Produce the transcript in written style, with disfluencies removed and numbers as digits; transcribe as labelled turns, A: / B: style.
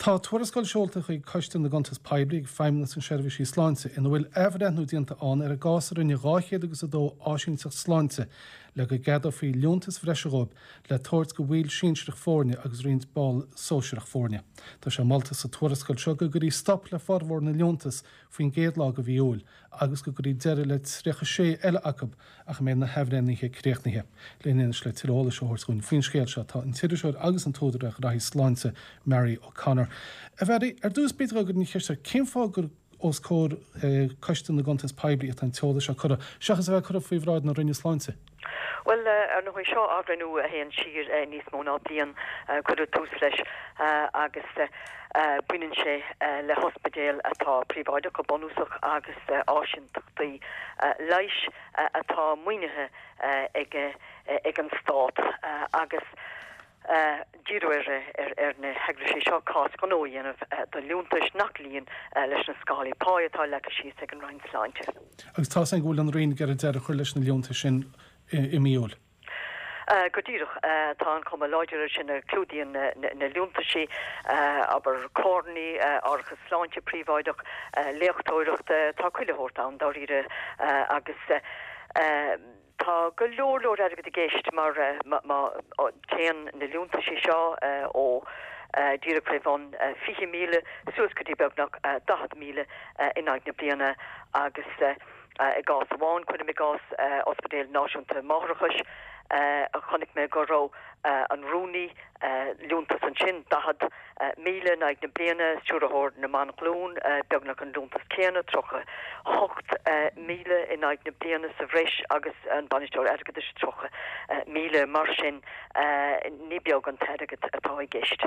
A: Tá tuarascáil seolta chuig Coiste na gCuntas Poiblí ag Feidhmeannas na Seirbhísí Sláinte ina bhfuil athbhreithniú déanta ann ar an gcás a rinne 200 agus 2 áisínteacht sláinte le go gceadófaí liúntais bhreise dhóibh le tabhairt do bhaill sinsearach foirne agus roinnt ball sóisearach foirne. Tá sé molta sa tuarascáil seo go gcuirí stop le formhór na liúntas faoin gcéad lá de mhí Iúil agus go gcuirí deireadh le 36 eile acu ach a mbeidh na hathbhreithnithe críochnaithe. Linn anois le tuilleadh eolais a thabhairt dhúinn faoin scéal seo tá an t-iriseoir agus an t-údar ar ghraithí sláinte, Mary O'Connor. A Mhary, ar dtús b'fhéidir go gcuirfinn an cheist ort, cén fáth gur os comhair Coiste na gCuntas Poiblí atá an t-eolas seo curtha, seachas a bheith curtha faoi bhráid na Roinne Sláinte?
B: Bhuel, ar ndóigh, seo athbhreithniú a théann siar níos mó ná bliain. Cuireadh tús leis agus baineann sé le hospidéil atá príobháideach go bunúsach agus áisíntachtaí leighis atá maoinithe ag an stát agus Díriú ar na heagraisí seo cás gnó a dhéanamh do liúntais nach luíonn leis na scálaí páí atá leagtha síos ag an Roinn Sláinte.
A: Agus tá a fhios againn go bhfuil an Roinn ag iarraidh deireadh a chur leis na liúntais sin i mí Iúil.
B: Go díreach. Tá an chuma láidir air sin a clúdaíonn na liúntaisí, abair, carrannaí, árachas sláinte príobháideach, léachtóireachta, tá chuile shórt ann dáiríre agus. Tá go leor leor airgid i gceist mar má téann na liúntaisí seo ó díreach faoi bhun 20,000 suas go dtí beagnach 40,000 in aghaidh na bliana agus i gcás amháin, cuirim i gcás Ospidéal Náisiúnta Máithreachais, chonaic mé go raibh an rúnaí, liúntas ansin, 40,000 in aghaidh na bliana, Stiúrthóir na mBan-Ghlún, beagnach an liúntas céanna, 38,000 in aghaidh na bliana sa bhreis agus an Bainisteoir Airgeadais, 30,000. Mar sin, ní beag an t-airgead atá i gceist.